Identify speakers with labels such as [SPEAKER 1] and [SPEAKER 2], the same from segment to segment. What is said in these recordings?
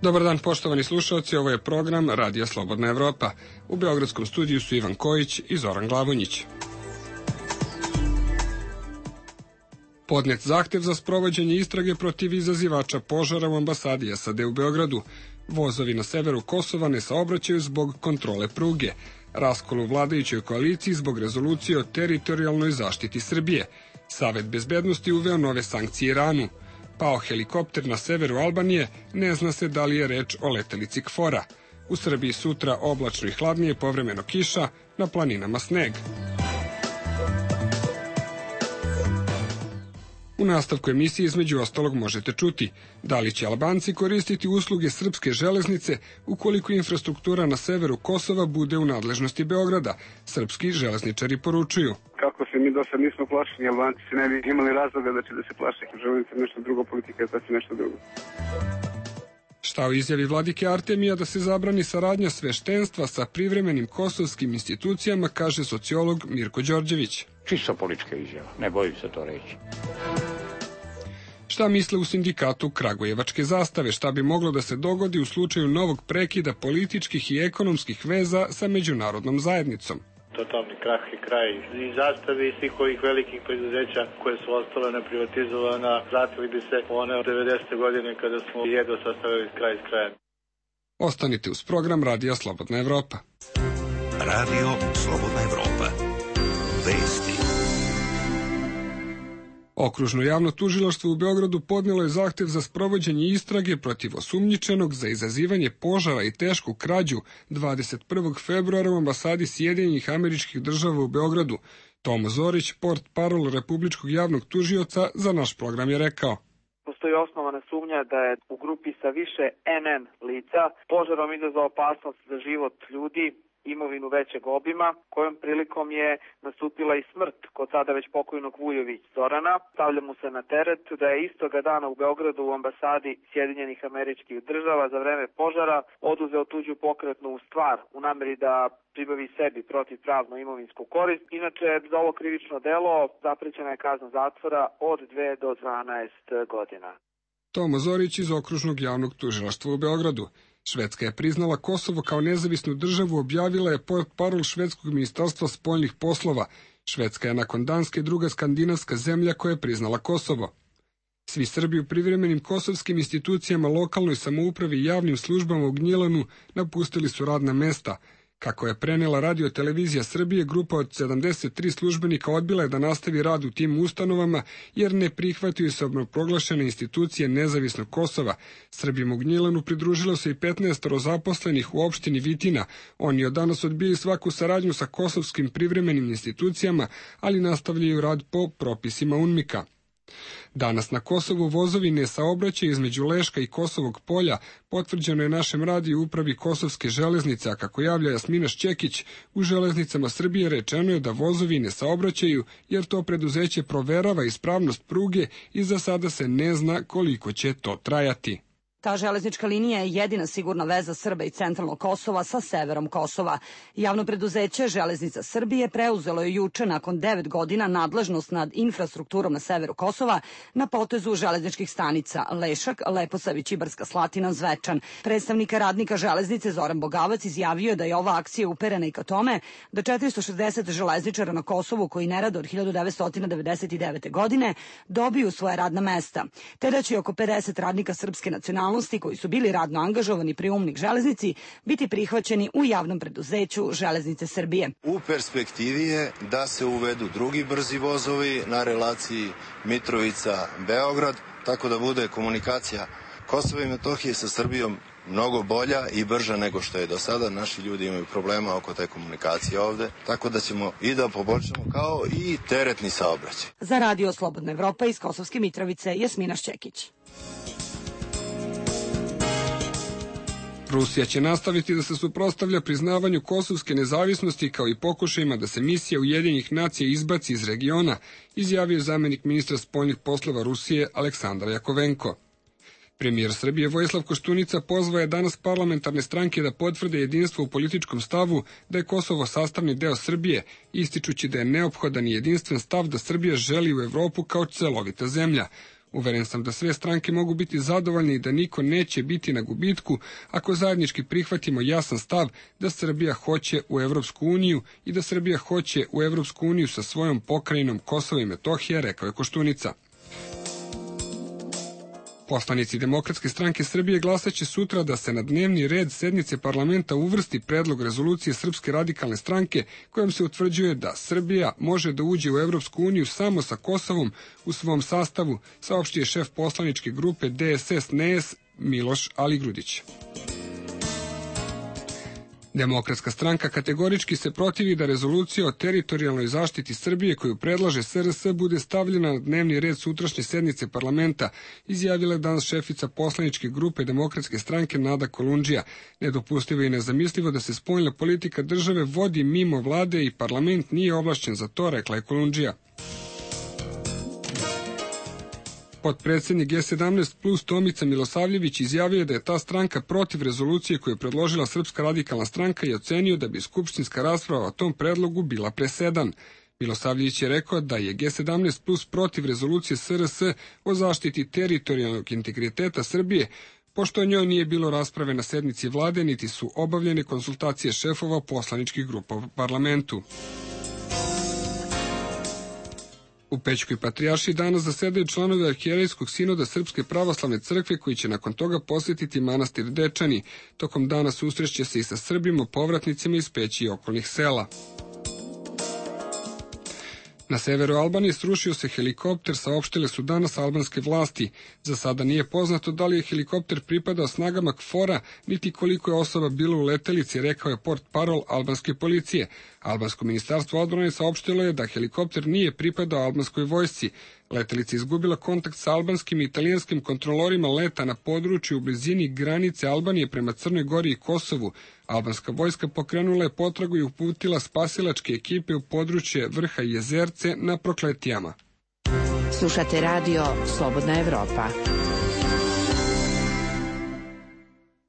[SPEAKER 1] Dobar dan, poštovani slušalci, ovo je program Radija Slobodna Evropa. U beogradskom studiju su Ivan Kojić i Zoran Glavonjić. Podnet zahtev za sprovođenje istrage protiv izazivača požara u ambasadi SAD u Beogradu. Vozovi na severu Kosova ne saobraćaju zbog kontrole pruge. Raskol u vladajućoj koaliciji zbog rezolucije o teritorijalnoj zaštiti Srbije. Savet bezbednosti uveo nove sankcije Iranu. Pao helikopter na severu Albanije, ne zna se da li je reč o letelici KFOR-a. U Srbiji sutra oblačno i hladnije, povremeno kiša, na planinama sneg. U nastavku emisije između ostalog možete čuti da li će Albanci koristiti usluge srpske železnice ukoliko infrastruktura na severu Kosova bude u nadležnosti Beograda. Srpski železničari poručuju.
[SPEAKER 2] Kako se mi do sad nismo plašeni, Albanci se ne bi imali razloga da će da se plaše. Železnica nešto drugo, politika je sasvim nešto drugo.
[SPEAKER 1] Šta u izjavi vladike Artemija da se zabrani saradnja sveštenstva sa privremenim kosovskim institucijama, kaže sociolog Mirko Đorđević.
[SPEAKER 3] Čisto politička izjava, ne bojim se to reći.
[SPEAKER 1] Šta misle u sindikatu Kragujevačke zastave, šta bi moglo da se dogodi u slučaju novog prekida političkih i ekonomskih veza sa međunarodnom zajednicom?
[SPEAKER 4] Totalni krah i kraj i zastave i svih ovih velikih preduzeća koje su ostale neprivatizovana, vratili bi se one od 90. godine kada smo jedva sastavili kraj s krajem.
[SPEAKER 1] Ostanite uz program Radija Slobodna Evropa.
[SPEAKER 5] Radio Slobodna Evropa. Vesti.
[SPEAKER 1] Okružno javno tužilaštvo u Beogradu podnelo je zahtev za sprovođenje istrage protiv osumnjičenog za izazivanje požara i tešku krađu 21. februara u ambasadi Sjedinjenih Američkih Država u Beogradu. Tomo Zorić, portparol Republičkog javnog tužioca, za naš program je rekao.
[SPEAKER 6] Postoji osnovana sumnja da je u grupi sa više NN lica požarom izazvao opasnost za život ljudi, imovinu većeg obima, kojom prilikom je nastupila i smrt kod sada već pokojnog Vujović Zorana. Stavlja mu se na teret da je istoga dana u Beogradu u ambasadi Sjedinjenih Američkih Država za vreme požara oduzeo tuđu pokretnu stvar u nameri da pribavi sebi protivpravno imovinsku korist. Inače, za ovo krivično delo zaprećena je kazna zatvora od 2 do 12 godina.
[SPEAKER 1] Tomo Zorić iz Okružnog javnog tužilaštva u Beogradu. Švedska je priznala Kosovo kao nezavisnu državu, objavila je portparol švedskog ministarstva spoljnih poslova. Švedska je nakon Danske druga skandinavska zemlja koja je priznala Kosovo. Svi Srbi u privremenim kosovskim institucijama, lokalnoj samoupravi i javnim službama u Gnjilanu napustili su radna mesta. Kako je prenela Radio-televizija Srbije, grupa od 73 službenika odbila je da nastavi rad u tim ustanovama jer ne prihvataju se proglašene institucije nezavisnog Kosova. Srbima u Gnjilanu pridružilo se i 15 zaposlenih u opštini Vitina. Oni od danas odbijaju svaku saradnju sa kosovskim privremenim institucijama, ali nastavljaju rad po propisima UNMIK-a. Danas na Kosovu vozovi ne saobraćaju između Leška i Kosovog polja, potvrđeno je našem radiju upravi Kosovske železnice, a kako javlja Jasmina Šćekić, u železnicama Srbije rečeno je da vozovi ne saobraćaju jer to preduzeće proverava ispravnost pruge i za sada se ne zna koliko će to trajati.
[SPEAKER 7] Ta železnička linija je jedina sigurna veza Srba i centralnog Kosova sa severom Kosova. Javno preduzeće Železnica Srbije preuzelo je juče nakon 9 godina nadležnost nad infrastrukturom na severu Kosova na potezu železničkih stanica Lešak, Leposavić, Ibarska Slatina, Zvečan. Predstavnika radnika železnice Zoran Bogavac izjavio je da je ova akcija uperena i ka tome da 460 železničara na Kosovu koji ne rade od 1999. godine dobiju svoje radna mesta, te da će oko 50 radnika srpske nacionalnosti koji su bili radno angažovani pri UNMIK železnici biti prihvaćeni u javnom preduzeću Železnice Srbije.
[SPEAKER 8] U perspektivi je da se uvedu drugi brzi vozovi na relaciji Mitrovica-Beograd, tako da bude komunikacija Kosova i Metohije sa Srbijom mnogo bolja i brža nego što je do sada. Naši ljudi imaju problema oko te komunikacije ovde, tako da ćemo i da poboljšamo kao i teretni saobraćaj.
[SPEAKER 7] Za Radio Slobodna Evropa iz Kosovske Mitrovice, Jasmina Šćekić.
[SPEAKER 1] Rusija će nastaviti da se suprotstavlja priznavanju kosovske nezavisnosti kao i pokušajima da se misija Ujedinjenih nacija izbaci iz regiona, izjavio zamenik ministra spoljnih poslova Rusije Aleksandar Jakovenko. Premijer Srbije Vojislav Koštunica pozvao je danas parlamentarne stranke da potvrde jedinstvo u političkom stavu da je Kosovo sastavni deo Srbije, ističući da je neophodan i jedinstven stav da Srbija želi u Evropu kao celovita zemlja. Uveren sam da sve stranke mogu biti zadovoljni i da niko neće biti na gubitku ako zajednički prihvatimo jasan stav da Srbija hoće u Evropsku uniju i da Srbija hoće u Evropsku uniju sa svojom pokrajinom Kosovo i Metohija, rekao je Koštunica. Poslanici Demokratske stranke Srbije glasaće sutra da se na dnevni red sednice parlamenta uvrsti predlog rezolucije Srpske radikalne stranke kojom se utvrđuje da Srbija može da uđe u Evropsku uniju samo sa Kosovom u svom sastavu, saopštio je šef poslaničke grupe DSS-NES Miloš Aligrudić. Demokratska stranka kategorički se protivi da rezolucija o teritorijalnoj zaštiti Srbije koju predlaže SRS bude stavljena na dnevni red sutrašnje sednice parlamenta, izjavila je danas šefica poslaničke grupe Demokratske stranke Nada Kolundžija. Nedopustivo i nezamislivo da se spoljna politika države vodi mimo vlade i parlament nije ovlašćen za to, rekla je Kolundžija. Potpredsjednik G17 plus Tomica Milosavljević izjavio je da je ta stranka protiv rezolucije koju je predložila Srpska radikalna stranka i ocenio da bi skupštinska rasprava o tom predlogu bila presedan. Milosavljević je rekao da je G17 plus protiv rezolucije SRS o zaštiti teritorijalnog integriteta Srbije, pošto o njoj nije bilo rasprave na sednici vlade, niti su obavljene konsultacije šefova poslaničkih grupa u parlamentu. U Pećkoj patrijaršiji danas zasedaju članovi Arhijerejskog sinoda Srpske pravoslavne crkve koji će nakon toga posjetiti manastir Dečani. Tokom dana susreće se i sa Srbima, povratnicima iz Peći i okolnih sela. Na severu Albanije srušio se helikopter, saopštile su danas albanske vlasti. Za sada nije poznato da li je helikopter pripadao snagama KFOR-a, niti koliko je osoba bilo u letelici, rekao je portparol albanske policije. Albansko ministarstvo odbrane saopštilo je da helikopter nije pripadao albanskoj vojsci. Letelica izgubila kontakt sa albanskim i italijanskim kontrolorima leta na području u blizini granice Albanije prema Crnoj Gori i Kosovu. Albanska vojska pokrenula je potragu i uputila spasilačke ekipe u područje Vrha i Jezerce na Prokletijama.
[SPEAKER 9] Slušate radio Slobodna Evropa.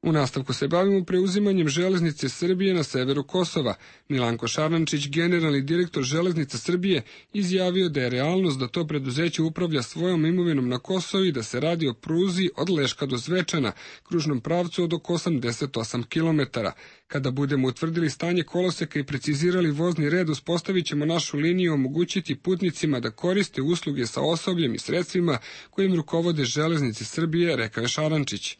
[SPEAKER 1] U nastavku se bavimo preuzimanjem železnice Srbije na severu Kosova. Milanko Šarančić, generalni direktor železnica Srbije, izjavio da je realnost da to preduzeće upravlja svojom imovinom na Kosovu i da se radi o pruzi od Leška do Zvečana, kružnom pravcu od oko 88 km. Kada budemo utvrdili stanje koloseka i precizirali vozni red, uspostavit ćemo našu liniju i omogućiti putnicima da koriste usluge sa osobljem i sredstvima kojim rukovode železnice Srbije, rekao je Šarančić.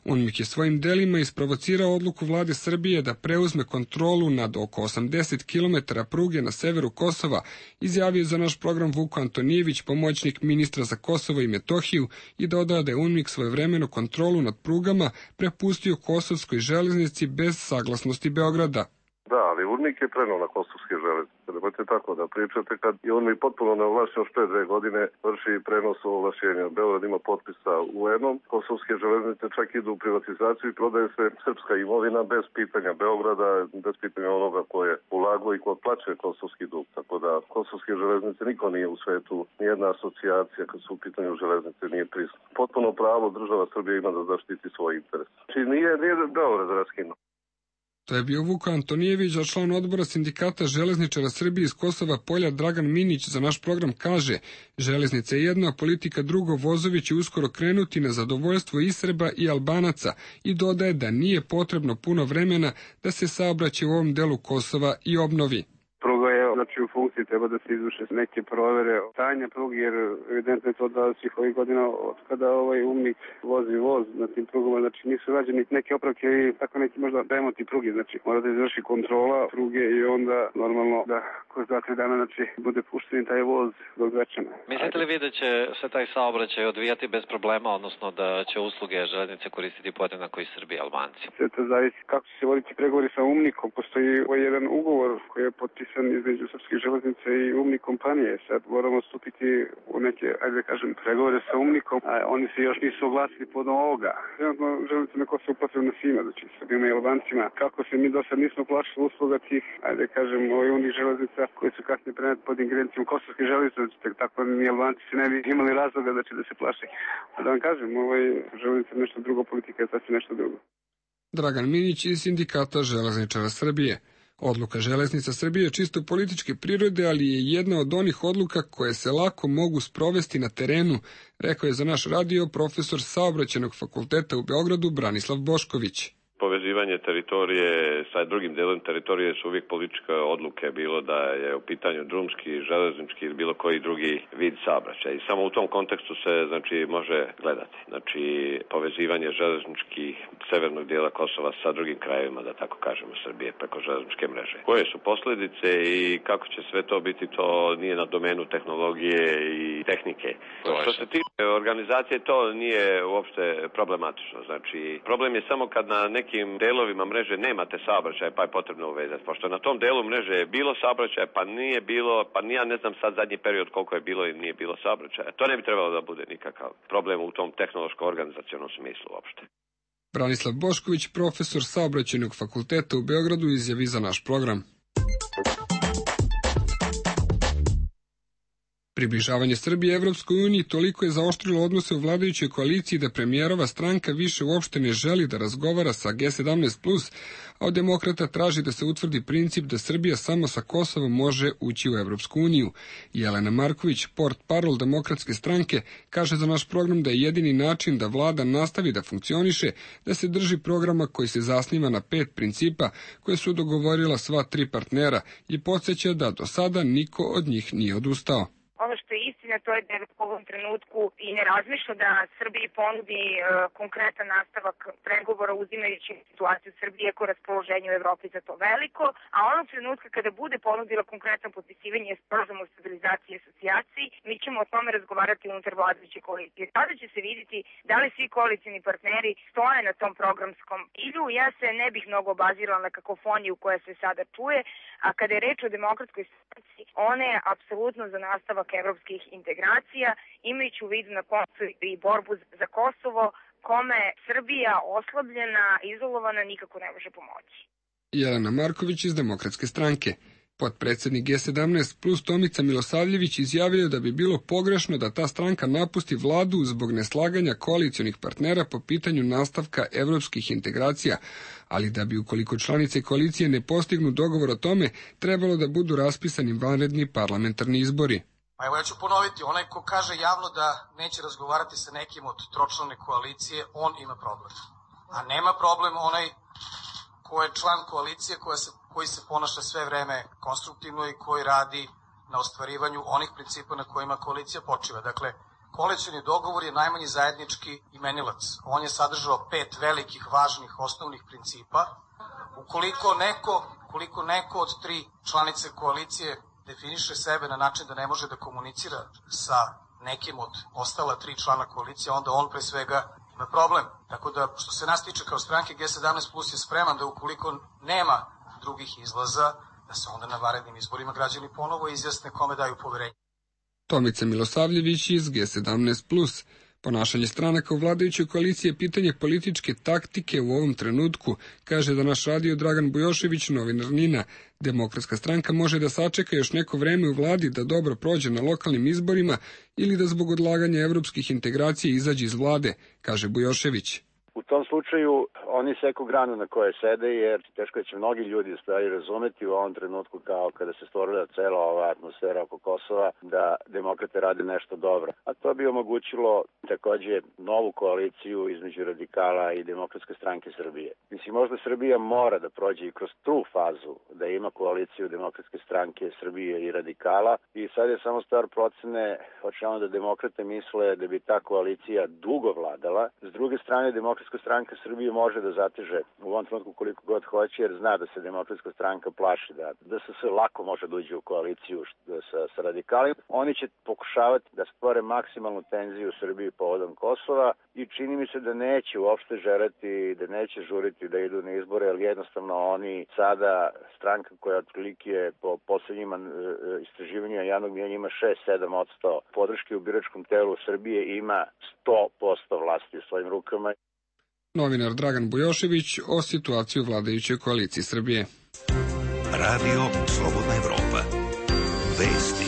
[SPEAKER 1] UNMIK je svojim delima isprovocirao odluku vlade Srbije da preuzme kontrolu nad oko 80 km pruge na severu Kosova, izjavio za naš program Vuko Antonijević, pomoćnik ministra za Kosovo i Metohiju, i dodao da je UNMIK svojevremeno kontrolu nad prugama prepustio kosovskoj železnici bez saglasnosti Beograda.
[SPEAKER 10] Da, ali UNMIK je prenao na kosovske železnice. Nemojte tako da pričate kad je UNMIK potpuno neovlašćen još 2 godine vrši prenos ovlašćenja. Beograd ima potpisa UN-om, kosovske železnice čak idu u privatizaciju i prodaje se srpska imovina bez pitanja Beograda, bez pitanja onoga ko je ulagao i ko plaće kosovski dug. Tako da kosovske železnice niko nije u svetu, nijedna asocijacija kad su u pitanju železnice nije prisutna. Potpuno pravo država Srbije ima da zaštiti svoj interes. Znači nije Beograd raskinuo.
[SPEAKER 1] To je bio Vuko Antonijević, a član odbora sindikata železničara Srbije iz Kosova Polja Dragan Minić za naš program kaže: železnica je jedna, a politika drugo, vozovi će uskoro krenuti na zadovoljstvo i Srba i Albanaca, i dodaje da nije potrebno puno vremena da se saobraćaj u ovom delu Kosova i obnovi.
[SPEAKER 2] Pruga je, znači, u funkciji, treba da se izvrše neke provere stanja pruge, jer evidentno je to da svih ovih godina od kada UNMIK vozi voz na tim prugama, znači nisu rađeni neke opravke i tako neki možda remonti pruge, znači mora da izvrši kontrola pruge i onda normalno da kroz 2-3 dana znači bude pušten taj voz do Zvečana.
[SPEAKER 11] Mislite li vi da će se taj saobraćaj odvijati bez problema, odnosno da će usluge železnice koristiti podjednako i Srbi i Albanci?
[SPEAKER 2] Sve to zavisi kako će se voditi pregovori sa UNMIK-om. Postoji jedan ugovor koji je potpisan između Srpske železnice i UNMIK kompanije. Sad moramo stupiti u neke, ajde da kažem, pregovore sa UNMIK-om, a oni se još nisu oglasili pod ovoga. Trenutno železnica na Kosovu potrebna svima, znači Srbima i Albancima. Kako se mi do sad nismo plašili usluga tih, ajde da kažem, UNMIK železnica koje su kasnije prenete pod ingerencijom Kosovske železnice, tako ni Albanci se ne bi imali razloga da će da se plaše. A da vam kažem, železnica je nešto drugo, politika je sasvim nešto drugo.
[SPEAKER 1] Dragan Minić iz sindikata železničara Srbije. Odluka Železnica Srbije je čisto političke prirode, ali je jedna od onih odluka koje se lako mogu sprovesti na terenu, rekao je za naš radio profesor Saobraćajnog fakulteta u Beogradu Branislav Bošković.
[SPEAKER 12] Povezivanje teritorije sa drugim delom teritorije su uvijek političke odluke, bilo da je u pitanju drumski, železnički ili bilo koji drugi vid saobraćaja. I samo u tom kontekstu se može gledati. Povezivanje železničkih severnog dijela Kosova sa drugim krajevima, da tako kažemo, Srbije preko železničke mreže. Koje su posljedice i kako će sve to biti, to nije na domenu tehnologije i tehnike. Što se tiče organizacije, to nije uopšte problematično. Problem je samo kad na nekim delovima mreže nemate saobraćaja, pa je potrebno uvezati. Pošto na tom delu mreže je bilo saobraćaja, pa nije bilo, pa ja ne znam sad zadnji period koliko je bilo i nije bilo saobraćaja. To ne bi trebalo da bude nikakav problem u tom tehnološko-organizacionom smislu uopšte.
[SPEAKER 1] Branislav Bošković, profesor Saobraćajnog fakulteta u Beogradu, izjavi za naš program. Približavanje Srbije Evropskoj uniji toliko je zaoštrilo odnose u vladajućoj koaliciji da premijerova stranka više uopšte ne želi da razgovara sa G17+, a od demokrata traži da se utvrdi princip da Srbija samo sa Kosovom može ući u Evropsku uniju. Jelena Marković, portparol demokratske stranke, kaže za naš program da je jedini način da vlada nastavi da funkcioniše, da se drži programa koji se zasniva na 5 principa koje su dogovorila sva 3 partnera i podsjeća da do sada niko od njih nije odustao.
[SPEAKER 13] Ono što je istina, to je da u ovom trenutku i ne razmišlja da Srbiji ponudi konkretan nastavak pregovora uzimajući situaciju Srbije ko raspoloženje u Evropi za to veliko, a onog trenutka kada bude ponudila konkretno potpisivanje sporazuma o stabilizaciji i asocijaciji, mi ćemo o tome razgovarati unutar vladajuće koalicije. Tada će se vidjeti da li svi koalicijni partneri stoje na tom programskom ilju. Ja se ne bih mnogo obazirala na kakofoniju koja se sada čuje, a kada je reč o demokratskoj stranci, ona je apsolutno za nastavak evropskih integracija, imajući u vidu na koncu i borbu za Kosovo, kome Srbija oslabljena, izolovana, nikako ne može pomoći.
[SPEAKER 1] Jelena Marković iz Demokratske stranke. Potpredsednik G17 plus Tomica Milosavljević izjavio da bi bilo pogrešno da ta stranka napusti vladu zbog neslaganja koalicionih partnera po pitanju nastavka evropskih integracija, ali da bi ukoliko članice koalicije ne postignu dogovor o tome, trebalo da budu raspisani vanredni parlamentarni izbori.
[SPEAKER 14] Pa evo ja ću ponoviti, onaj ko kaže javno da neće razgovarati sa nekim od tročlane koalicije, on ima problem. A nema problem onaj ko je član koalicije koji se ponaša sve vreme konstruktivno i koji radi na ostvarivanju onih principa na kojima koalicija počiva. Dakle, koalicioni dogovor je najmanji zajednički imenilac. On je sadržao 5 velikih, važnih, osnovnih principa. Ukoliko neko od 3 članice koalicije definiše sebe na način da ne može da komunicira sa nekim od ostala 3 člana koalicije, onda on pre svega ima problem. Tako da, što se nas tiče kao stranke, G17 Plus je spreman da ukoliko nema drugih izlaza, da se onda na vanrednim izborima građani ponovo izjasne kome daju poverenje.
[SPEAKER 1] Tomica Milosavljević iz G17+. Ponašanje stranaka u vladajućoj koaliciji je pitanje političke taktike u ovom trenutku, kaže da naš radio Dragan Bujošević, novinar NIN-a. Demokratska stranka može da sačeka još neko vreme u vladi da dobro prođe na lokalnim izborima ili da zbog odlaganja evropskih integracija izađe iz vlade, kaže Bujošević.
[SPEAKER 15] U tom slučaju oni seku granu na kojoj sede, jer teško će mnogi ljudi stvari razumeti u ovom trenutku kao kada se stvorila cela ova atmosfera oko Kosova, da demokrate rade nešto dobro. A to bi omogućilo takođe novu koaliciju između radikala i Demokratske stranke Srbije. Mislim, možda Srbija mora da prođe i kroz tu fazu, da ima koaliciju Demokratske stranke Srbije i radikala i sad je samo stvar procene, hoćemo da demokrate misle da bi ta koalicija dugo vladala. S druge strane, Demokratska stranka Srbije može da zateže u ovom trenutku koliko god hoće, jer zna da se Demokratska stranka plaši da se sve lako može da uđe u koaliciju sa radikalima. Oni će pokušavati da stvore maksimalnu tenziju u Srbiji povodom Kosova i čini mi se da neće uopšte želeti, da neće žuriti da idu na izbore, jer jednostavno oni sada, stranka koja otprilike po poslednjim istraživanjima javnog mnjenja ima 6-7% podrške u biračkom telu Srbije, ima 100% vlasti u svojim rukama.
[SPEAKER 1] Novinar Dragan Bujošević o situaciji u vladajućoj koaliciji Srbije.
[SPEAKER 5] Radio Slobodna Evropa. Vesti.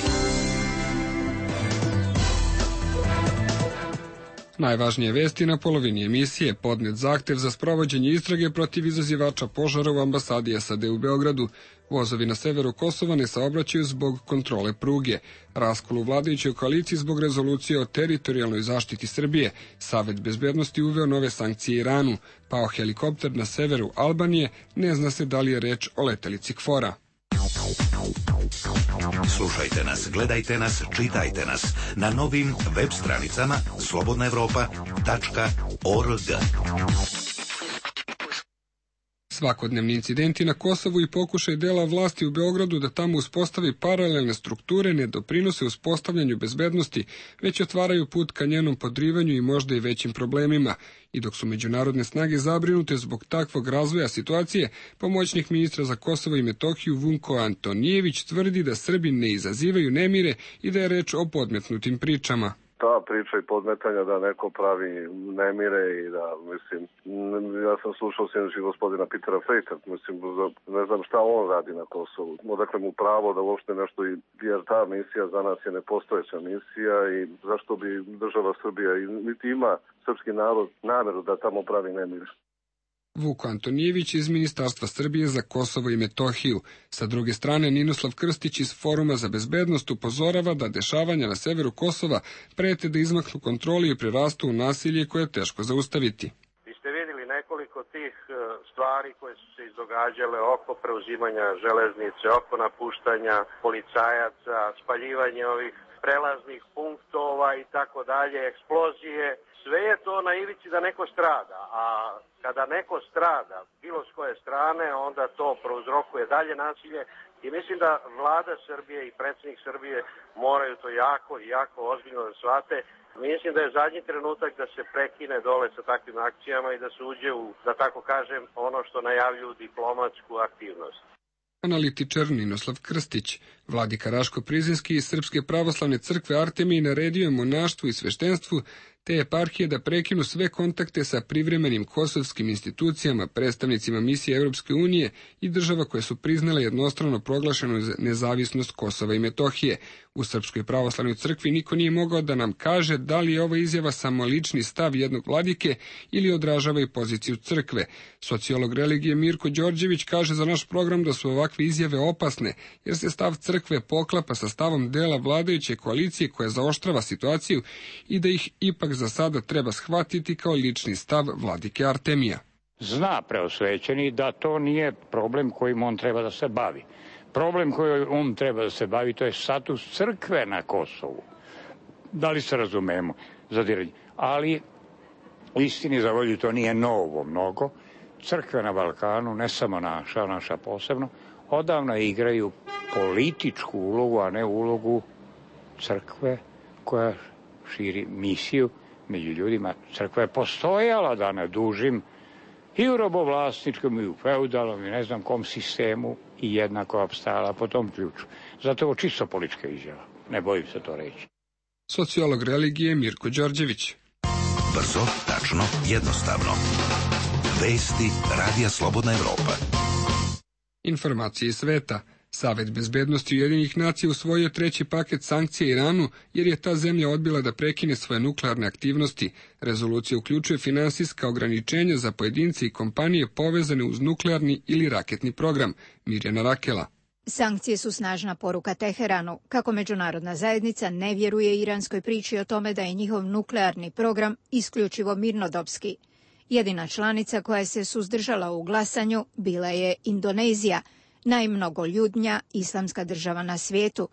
[SPEAKER 1] Najvažnije vesti na polovini emisije: podnet zahtev za sprovođenje istrage protiv izazivača požara u ambasadi SAD u Beogradu. Vozovi na severu Kosova ne saobraćaju zbog kontrole pruge. Raskol u vladajućoj koaliciji zbog rezolucije o teritorijalnoj zaštiti Srbije. Savet bezbednosti uveo nove sankcije Iranu. Pao helikopter na severu Albanije. Ne zna se da li je reč o letelici KFOR-a.
[SPEAKER 5] Slušajte nas, gledajte nas, čitajte nas na novim web stranicama slobodnaevropa.org.
[SPEAKER 1] Svakodnevni incidenti na Kosovu i pokušaj dela vlasti u Beogradu da tamo uspostavi paralelne strukture ne doprinose uspostavljanju bezbednosti, već otvaraju put ka njenom podrivanju i možda i većim problemima. I dok su međunarodne snage zabrinute zbog takvog razvoja situacije, pomoćnik ministra za Kosovo i Metohiju Vunko Antonijević tvrdi da Srbi ne izazivaju nemire i da je reč o podmetnutim pričama.
[SPEAKER 10] Ta priča i podmetanja da neko pravi nemire i da, mislim, ja sam slušao sinoć gospodina Petera Fejta, mislim, ne znam šta on radi na Kosovu. Odakle mu pravo da uopšte nešto, jer ta misija za nas je nepostojeća misija i zašto bi država Srbija niti ima srpski narod nameru da tamo pravi nemire.
[SPEAKER 1] Vuko Antonijević iz Ministarstva Srbije za Kosovo i Metohiju. Sa druge strane, Ninoslav Krstić iz Foruma za bezbednost upozorava da dešavanja na severu Kosova prete da izmaknu kontroli i prerastu u nasilje koje je teško zaustaviti.
[SPEAKER 16] Vi ste vidjeli nekoliko tih stvari koje su se izdogađale oko preuzimanja železnice, oko napuštanja policajaca, spaljivanje ovih prelaznih punktova i tako dalje, eksplozije. Sve je to na ivici da neko strada, a kada neko strada, bilo s koje strane, onda to prouzrokuje dalje nasilje i mislim da vlada Srbije i predsjednik Srbije moraju to jako ozbiljno da shvate. Mislim da je zadnji trenutak da se prekine dole sa takvim akcijama i da se uđe u, da tako kažem, ono što najavljuju diplomatsku aktivnost.
[SPEAKER 1] Analitičar Ninoslav Krstić. Vladika Raško Prizinski iz Srpske pravoslavne crkve Artemiji naredio je monaštvu i sveštenstvu te eparhije da prekinu sve kontakte sa privremenim kosovskim institucijama, predstavnicima misije Europske unije i država koje su priznale jednostrano proglašenu nezavisnost Kosova i Metohije. U Srpskoj pravoslavnoj crkvi niko nije mogao da nam kaže da li je ova izjava samo lični stav jednog vladike ili odražava i poziciju crkve. Sociolog religije Mirko Đorđević kaže za naš program da su ovakve izjave opasne, jer se stav crkve poklapa sa stavom dela vladajuće koalicije koja zaoštrava situaciju i da ih ipak za sada treba shvatiti kao lični stav vladike Artemija.
[SPEAKER 3] Zna preosvećeni da to nije problem kojim on treba da se bavi. Problem kojim on treba da se bavi, to je status crkve na Kosovu. Da li se razumemo? Zadiranje. Ali, istini za volju, to nije novo mnogo. Crkve na Balkanu, ne samo naša posebno, odavno igraju političku ulogu, a ne ulogu crkve koja širi misiju među ljudima. Crkva je postojala, da ne dužim, i u robovlasničkom, i u feudalnom, i ne znam kom sistemu, i jednako opstala po tom ključu. Zato je ovo čisto politička izjava. Ne bojim se to reći.
[SPEAKER 1] Sociolog religije Mirko Đorđević.
[SPEAKER 5] Brzo, tačno, jednostavno. Vesti Radija Slobodna Evropa.
[SPEAKER 1] Informacije iz sveta. Savet bezbednosti Ujedinjenih nacija usvojio treći paket sankcija Iranu jer je ta zemlja odbila da prekine svoje nuklearne aktivnosti. Rezolucija uključuje finansijska ograničenja za pojedince i kompanije povezane uz nuklearni ili raketni program. Mirjana Rakela.
[SPEAKER 17] Sankcije su snažna poruka Teheranu, kako međunarodna zajednica ne vjeruje iranskoj priči o tome da je njihov nuklearni program isključivo mirnodopski. Jedina članica koja se suzdržala u glasanju bila je Indonezija, najmnogoljudnija islamska država na svijetu.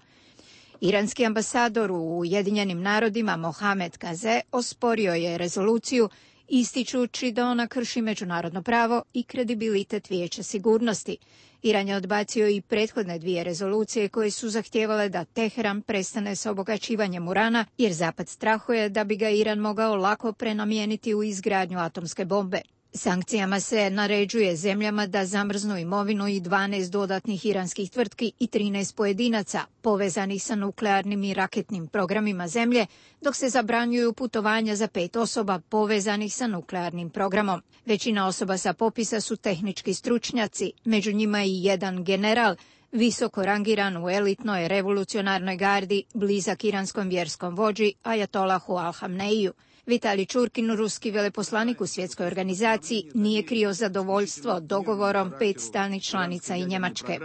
[SPEAKER 17] Iranski ambasador u Ujedinjenim narodima Mohamed Kaze osporio je rezoluciju ističući da ona krši međunarodno pravo i kredibilitet Vijeća sigurnosti. Iran je odbacio i prethodne dvije rezolucije koje su zahtijevale da Teheran prestane sa obogaćivanjem urana, jer Zapad strahuje da bi ga Iran mogao lako prenamijeniti u izgradnju atomske bombe. Sankcijama se naređuje zemljama da zamrznu imovinu i 12 dodatnih iranskih tvrtki i 13 pojedinaca povezanih sa nuklearnim i raketnim programima zemlje, dok se zabranjuju putovanja za 5 osoba povezanih sa nuklearnim programom. Većina osoba sa popisa su tehnički stručnjaci, među njima i jedan general, visoko rangiran u elitnoj revolucionarnoj gardi, blizak iranskom vjerskom vođi Ajatolahu Al-Hamneiju. Vitalij Čurkin, ruski veleposlanik u svjetskoj organizaciji, nije krio zadovoljstvo dogovorom 5 stalnih članica i Njemačke.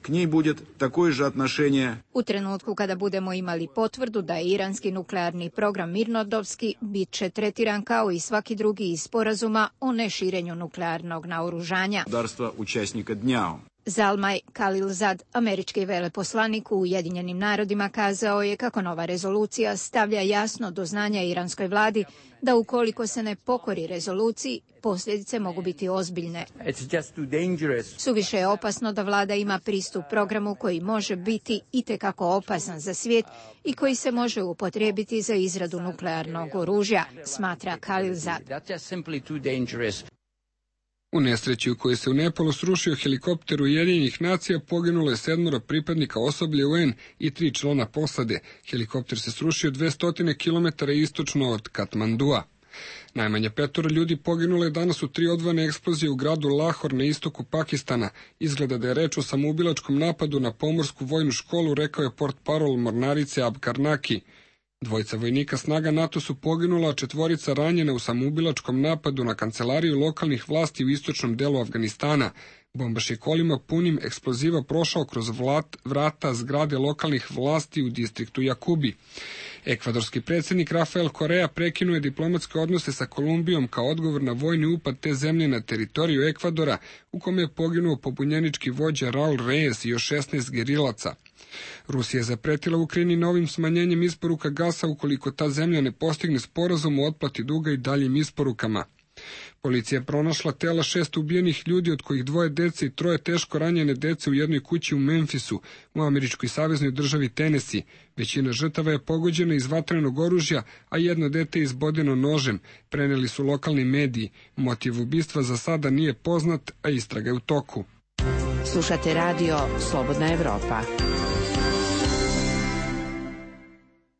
[SPEAKER 18] K njej bude također отношение.
[SPEAKER 17] U trenutku kada budemo imali potvrdu da je iranski nuklearni program mirnodopski, bit će tretiran kao i svaki drugi iz sporazuma o neširenju nuklearnog naoružanja.
[SPEAKER 18] Darstva učesnika dnja.
[SPEAKER 17] Zalmaj Khalilzad, američki veleposlanik u Ujedinjenim narodima, kazao je kako nova rezolucija stavlja jasno do znanja iranskoj vladi da ukoliko se ne pokori rezoluciji, posljedice mogu biti ozbiljne. Suviše je opasno da vlada ima pristup programu koji može biti itekako opasan za svijet i koji se može upotrijebiti za izradu nuklearnog oružja, smatra Khalilzad.
[SPEAKER 1] U nesreći u kojoj se u Nepalu srušio helikopter Ujedinjenih nacija poginulo je 7 pripadnika osoblja UN i 3 člana posade. Helikopter se srušio 200 km istočno od Katmandua. Najmanje 5 ljudi poginulo je danas u 3 odvojene eksplozije u gradu Lahor na istoku Pakistana. Izgleda da je reč o samoubilačkom napadu na pomorsku vojnu školu, rekao je portparol mornarice Abkarnaki. 2 vojnika snaga NATO su poginula, a 4 ranjena u samoubilačkom napadu na kancelariju lokalnih vlasti u istočnom delu Afganistana. Bombaš je kolima punim eksploziva prošao kroz vrata zgrade lokalnih vlasti u distriktu Jakubi. Ekvadorski predsjednik Rafael Correa prekinuo je diplomatske odnose sa Kolumbijom kao odgovor na vojni upad te zemlje na teritoriju Ekvadora, u kome je poginuo pobunjenički vođa Raul Reyes i još 16 gerilaca. Rusija je zapretila Ukrajini novim smanjenjem isporuka gasa ukoliko ta zemlja ne postigne sporazum o otplati duga i daljim isporukama. Policija je pronašla tela 6 ubijenih ljudi, od kojih 2 dece i 3 teško ranjene dece u jednoj kući u Memphisu, u američkoj saveznoj državi Tennessee. Većina žrtava je pogođena iz vatrenog oružja, a 1 dete je izbodeno nožem, preneli su lokalni mediji. Motiv ubistva za sada nije poznat, a istraga je u toku.
[SPEAKER 9] Slušate radio Slobodna Evropa.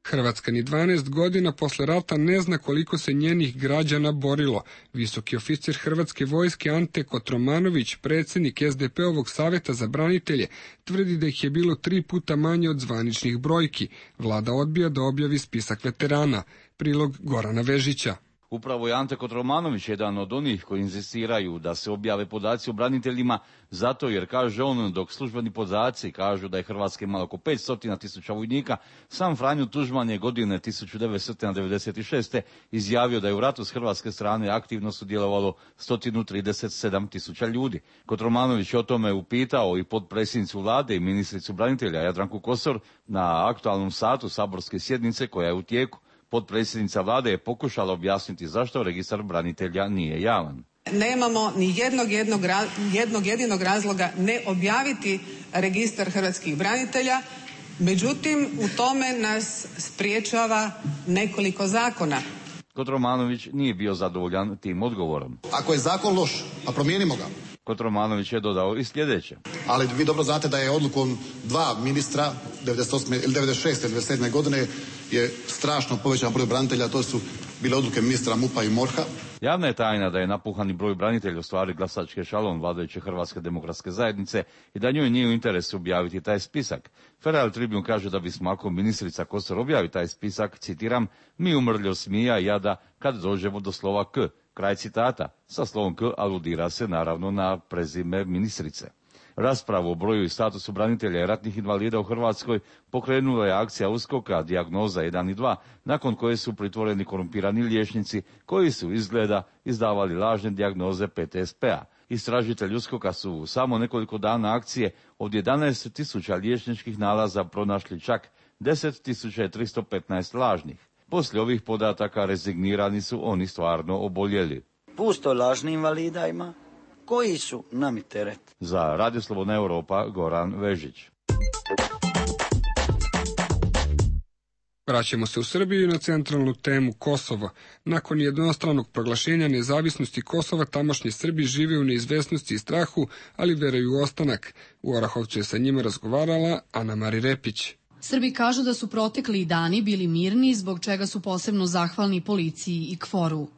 [SPEAKER 1] Hrvatska ni 12 godina posle rata ne zna koliko se njenih građana borilo. Visoki oficir Hrvatske vojske Ante Kotromanović, predsjednik SDP-ovog savjeta za branitelje, tvrdi da ih je bilo 3 puta manje od zvaničnih brojki. Vlada odbija da objavi spisak veterana. Prilog Gorana Vežića.
[SPEAKER 19] Upravo je Ante Kotromanović jedan od onih koji inzistiraju da se objave podaci o braniteljima, zato jer, kaže on, dok službeni podaci kažu da je Hrvatska imala oko 500.000 vojnika, sam Franjo Tuđman je godine 1996. izjavio da je u ratu s hrvatske strane aktivno sudjelovalo 137.000 ljudi. Kotromanović o tome upitao i potpredsjednicu vlade i ministricu branitelja Jadranku Kosor na aktualnom satu saborske sjednice koja je u tijeku. Potpredsjednica vlade je pokušala objasniti zašto registar branitelja nije javan.
[SPEAKER 20] Nemamo ni jednog jedinog razloga ne objaviti registar hrvatskih branitelja, međutim u tome nas spriječava nekoliko zakona.
[SPEAKER 19] Kotromanović nije bio zadovoljan tim odgovorom.
[SPEAKER 21] Ako je zakon loš, a promijenimo ga.
[SPEAKER 19] Kotromanović je dodao i sljedeće.
[SPEAKER 21] Ali vi dobro znate da je odlukom 2 ministra 96. ili 97. godine je strašno povećan broj branitelja, to su bile odluke ministra MUP-a i MORH-a.
[SPEAKER 19] Javna je tajna da je napuhani broj branitelja u stvari glasački ešalon vladajuće Hrvatske demokratske zajednice i da njoj nije u interesu objaviti taj spisak. Federal Tribune kaže da bismo, ako ministrica Kosor objavi taj spisak, citiram, mi umrli od smija i jada kad dođemo do slova K. Kraj citata. Sa slovom K aludira se naravno na prezime ministrice. Raspravu o broju i statusu branitelja i ratnih invalida u Hrvatskoj pokrenula je akcija USKOK-a Dijagnoza 1 i 2, nakon koje su pritvoreni korumpirani liječnici koji su izgleda izdavali lažne dijagnoze PTSP-a. Istražitelji USKOK-a su u samo nekoliko dana akcije od 11.000 liječničkih nalaza pronašli čak 10.315 lažnih. Poslije ovih podataka rezignirani su oni stvarno oboljeli.
[SPEAKER 22] Pusto lažnih invalida ima, koji su nami teret.
[SPEAKER 19] Za Radio Slobodna Evropa, Goran Vežić.
[SPEAKER 1] Vraćamo se u Srbiju na centralnu temu Kosovo. Nakon jednostranog proglašenja nezavisnosti Kosova, tamošnji Srbi žive u neizvesnosti i strahu, ali veruju u ostanak. U Orahovcu je sa njima razgovarala Ana Mari Repić.
[SPEAKER 23] Srbi kažu da su protekli dani bili mirni, zbog čega su posebno zahvalni policiji i KFOR-u.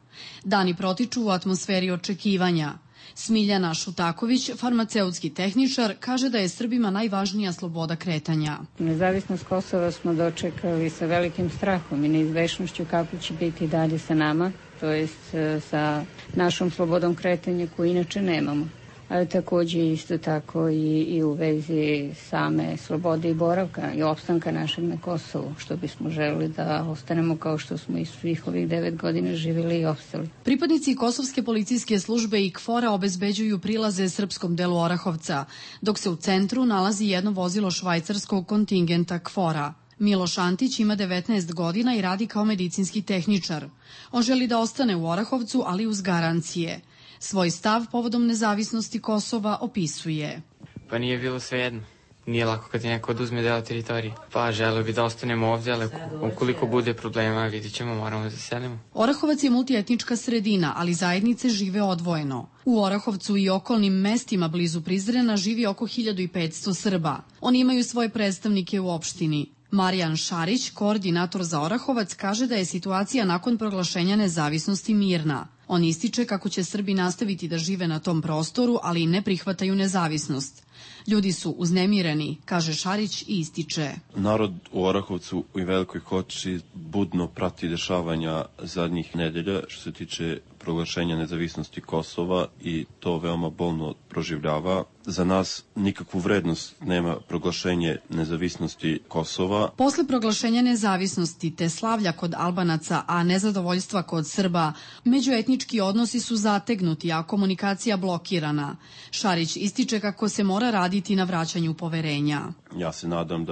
[SPEAKER 23] Dani protiču u atmosferi očekivanja. Smiljana Šutaković, farmaceutski tehničar, kaže da je Srbima najvažnija sloboda kretanja.
[SPEAKER 4] Nezavisnost Kosova smo dočekali sa velikim strahom i neizvešnošću kako će biti dalje sa nama, to jest sa našom slobodom kretanja koju inače nemamo. Ali takođe isto tako i u vezi same slobode i boravka i opstanka našeg na Kosovu, što bismo želeli da ostanemo kao što smo i svih ovih 9 godina živjeli i opstali.
[SPEAKER 23] Pripadnici Kosovske policijske službe i KFOR-a obezbeđuju prilaze srpskom delu Orahovca, dok se u centru nalazi jedno vozilo švajcarskog kontingenta KFOR-a. Miloš Antić ima 19 godina i radi kao medicinski tehničar. On želi da ostane u Orahovcu, ali uz garancije. Svoj stav povodom nezavisnosti Kosova opisuje.
[SPEAKER 6] Pa nije bilo svejedno. Nije lako kad ti neko oduzme deo teritorije. Pa želeo bi da ostanemo ovdje, ali ukoliko bude problema, vidit ćemo, moramo da se selimo.
[SPEAKER 23] Orahovac je multietnička sredina, ali zajednice žive odvojeno. U Orahovcu i okolnim mestima blizu Prizrena živi oko 1500 Srba. Oni imaju svoje predstavnike u opštini. Marijan Šarić, koordinator za Orahovac, kaže da je situacija nakon proglašenja nezavisnosti mirna. On ističe kako će Srbi nastaviti da žive na tom prostoru, ali i ne prihvataju nezavisnost. Ljudi su uznemireni, kaže Šarić i ističe.
[SPEAKER 8] Narod u Orahovcu i Velikoj Hoči budno prati dešavanja zadnjih nedelja što se tiče proglašenja nezavisnosti Kosova i to veoma bolno proživljava. Za nas nikakvu vrednost nema proglašenje nezavisnosti Kosova.
[SPEAKER 23] Posle proglašenja nezavisnosti te slavlja kod Albanaca, a nezadovoljstva kod Srba, međuetnički odnosi su zategnuti, a komunikacija blokirana. Šarić ističe kako se mora raditi na vraćanju poverenja.
[SPEAKER 8] Ja se nadam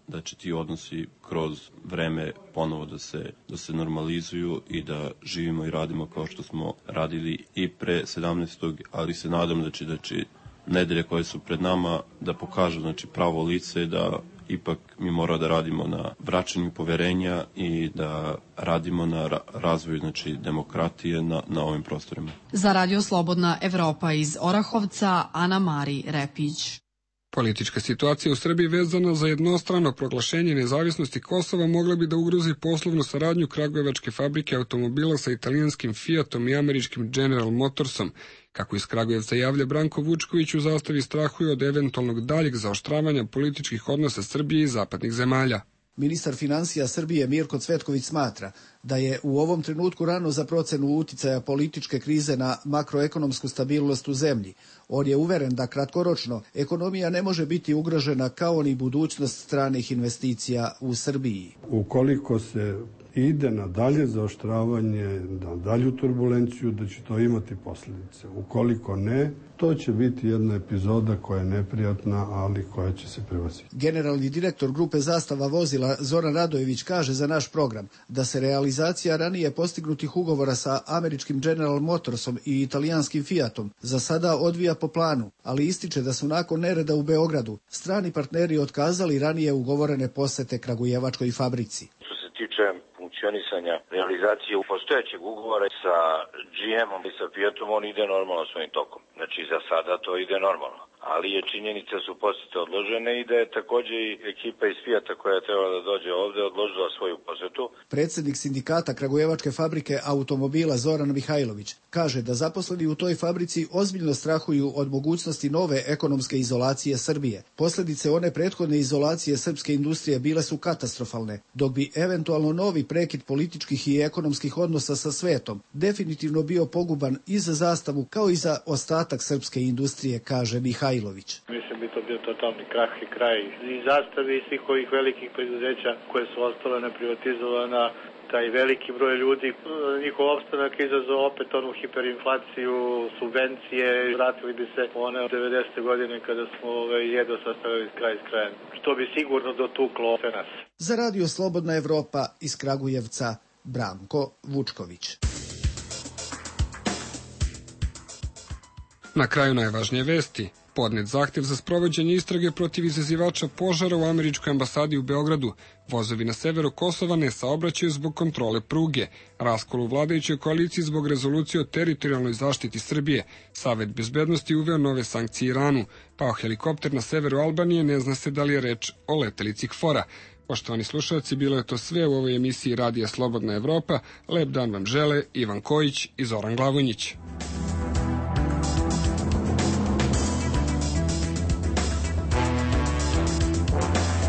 [SPEAKER 8] da će ti odnosi kroz vreme ponovo da se normalizuju i da živimo i radimo kao što smo radili i pre 17. ali se nadam da će nedelje koje su pred nama da pokažu pravo lice, da ipak mi mora da radimo na vraćanju poverenja i da radimo na razvoju demokratije na ovim prostorima.
[SPEAKER 23] Za Radio Slobodna Evropa iz Orahovca, Ana Mari Repić.
[SPEAKER 1] Politička situacija u Srbiji vezana za jednostrano proglašenje nezavisnosti Kosova mogla bi da ugrozi poslovnu saradnju kragujevačke fabrike automobila sa italijanskim Fiatom i američkim General Motorsom. Kako iz Kragujevca javlja Branko Vučković, u zastavi strahuje od eventualnog daljeg zaoštravanja političkih odnosa Srbije i zapadnih zemalja.
[SPEAKER 24] Ministar finansija Srbije Mirko Cvetković smatra da je u ovom trenutku rano za procenu uticaja političke krize na makroekonomsku stabilnost u zemlji. On je uveren da kratkoročno ekonomija ne može biti ugrožena kao ni budućnost stranih investicija u Srbiji.
[SPEAKER 25] Ukoliko se ide na dalje zaoštravanje, na dalju turbulenciju, da će to imati posljedice. Ukoliko ne, to će biti jedna epizoda koja je neprijatna, ali koja će se prevasiti.
[SPEAKER 24] Generalni direktor grupe Zastava vozila Zoran Radojević kaže za naš program da se realizacija ranije postignutih ugovora sa američkim General Motorsom i italijanskim Fiatom za sada odvija po planu, ali ističe da su nakon nereda u Beogradu strani partneri otkazali ranije ugovorene posete kragujevačkoj fabrici.
[SPEAKER 26] Što se tiče funkcionisanja realizacije u postojećeg ugovora sa GM-om i sa Fiatom, on ide normalno svojim tokom. Znači za sada to ide normalno. Ali je činjenica su posete odložene i da je također i ekipa iz Fiata koja je trebala da dođe ovde odložila svoju posetu.
[SPEAKER 24] Predsjednik sindikata kragujevačke fabrike automobila Zoran Mihajlović kaže da zaposleni u toj fabrici ozbiljno strahuju od mogućnosti nove ekonomske izolacije Srbije. Posljedice one prethodne izolacije srpske industrije bile su katastrofalne, dok bi eventualno novi prekid političkih i ekonomskih odnosa sa svetom definitivno bio poguban i za Zastavu kao i za ostatak srpske industrije, kaže Mihajlović.
[SPEAKER 27] Mislim bi to bio totalni krah i kraj i Zastave i svih ovih velikih preduzeća koje su ostale neprivatizovana, taj veliki broj ljudi, njihov opstanak izazvao opet onu hiperinflaciju, subvencije, vratili bi se one od 90. godine kada smo jedva sastavili kraj s krajem, što bi sigurno dotuklo sve nas.
[SPEAKER 24] Za Radio Slobodna Evropa iz Kragujevca, Branko Vučković.
[SPEAKER 1] Na kraju najvažnije vesti. Podnet zahtjev za sprovođenje istrage protiv izazivača požara u američkoj ambasadi u Beogradu. Vozovi na severu Kosova ne saobraćaju zbog kontrole pruge. Raskol u vladajućoj koaliciji zbog rezolucije o teritorijalnoj zaštiti Srbije. Savet bezbednosti uveo nove sankcije Iranu. Pao helikopter na severu Albanije, ne zna se da li je reč o letelici KFOR-a. Poštovani slušalci, bilo je to sve u ovoj emisiji Radija Slobodna Evropa. Lep dan vam žele Ivan Kojić i Zoran Glavonjić.